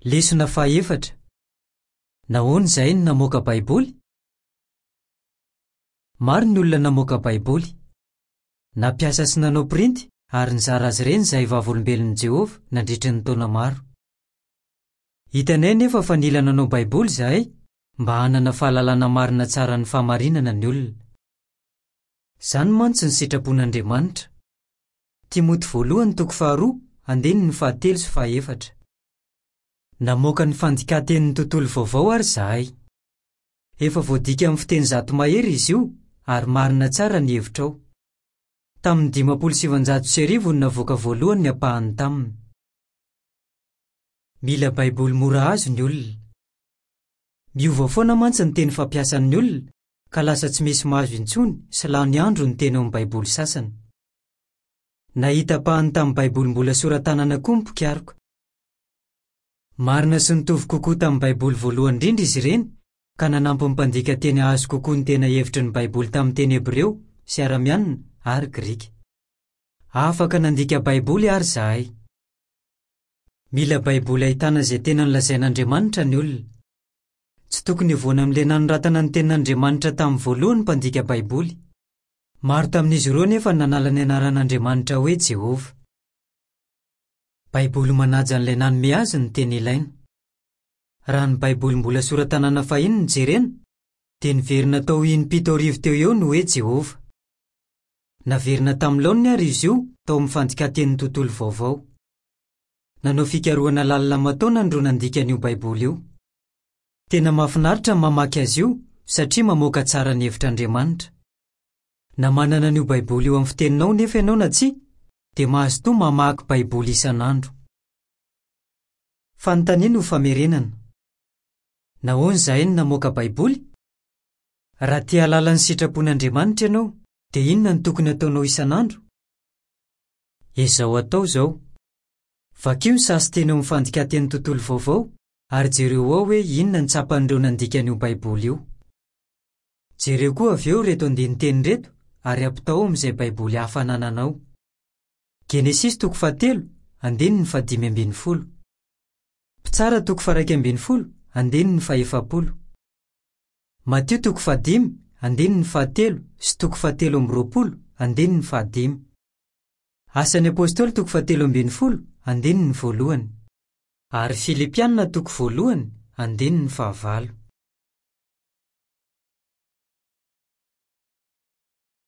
Lesona fahefatra. Nahoana izahay no namoaka Baiboly? Maro ny olona namoaka Baiboly. Nampiasa sy nanao printy ary nizara azy ireny izahay Vavolombelon'i Jehovah nandritra ny taona maro. Hitanay anefa fa nila nanao Baiboly izahay mba hanana fahalalana marina tsara ny fahamarinana ny olona. Izany mantsy ny sitrapon'Andriamanitra. Timoty voalohany toko faharoa andininy fahatelo sy fahaefatra. Namoaka ny Fandikan-tenin'ny Tontolo Vaovao àry izahay. Efa voadika amin'ny fiteny 100 mahery izy io, ary marina tsara ny hevitra ao. Tamin'ny 1950 no navoaka voalohany ny ampahany taminy. Mila Baiboly mora azo ny olona. Miova foana mantsy ny teny fampiasan'ny olona, ka lasa tsy misy mahazo intsony sy lany andro ny teny ao amin'ny Baiboly sasany. Nahita ampahany tamin'ny Baiboly mbola sora-tanana koa ny mpikaroka. Marina sy nitovy kokoa tamin'ny Baiboly voalohany indrindra izy ireny, ka nanampy ny mpandika teny hahazo kokoa ny tena hevitry ny Baiboly tamin'ny teny hebreo sy aramianina ary grika. Afaka nandika Baiboly àry izahay. Mila Baiboly ahitana izay tena nolazain'Andriamanitra ny olona. Tsy tokony hivoana amin'ilay nanoratana ny Tenin'Andriamanitra tamin'ny voalohany ny mpandika Baiboly. Maro tamin'izy ireo anefa no nanala ny anaran'Andriamanitra hoe Jehovah. Baiboly manaja an'ilay nanome azy ny tena ilaina. Raha ny Baiboly mbola sora-tanana fahiny no jerena, dia niverina tao 76 teo eo ny hoe Jehovah. Naverina tamin'ny laoniny àry izy io tao amin'ny Fandikan-tenin'ny Tontolo Vaovao. Nanao fikarohana lalina aman-taonany ireo nandika an'io Baiboly io. Tena mahafinaritra ny mamaky azy io satria mamoaka tsara ny hevitr'Andriamanitra. Na manana an'io Baiboly io amin'ny fiteninao nefa ianao na tsia, dia mazotoa mamaky Baiboly isan'andro. Fanontaniana ho famerenana. Nahoana izahay no namoaka Baiboly? Raha te hahalala ny sitrapon'Andriamanitra ianao, dia inona no tokony hataonao isan'andro? Ezao atao izao. Vakio ny sasin-teny ao amin'ny Fandikan-tenin'ny Tontolo Vaovao ary jereo ao hoe inona no tsapan'ireo nandika an'io Baiboly io. Jereo koa avy eo ireto andinin-teny ireto ary ampitahao amin'izay Baiboly hafa anananao. Genesisy toko fahatelo, andininy fahadimy ambin'ny folo. Mpitsara toko faha-11, andininy faha-40. Matio toko fahadimy, andininy fahatelo sy toko fahatelo amby roapolo, andininy fahadimy. Asan'ny Apostoly toko fahatelo ambin'ny folo, andininy voalohany. Ary Filipiana toko voalohany, andininy fahavalo.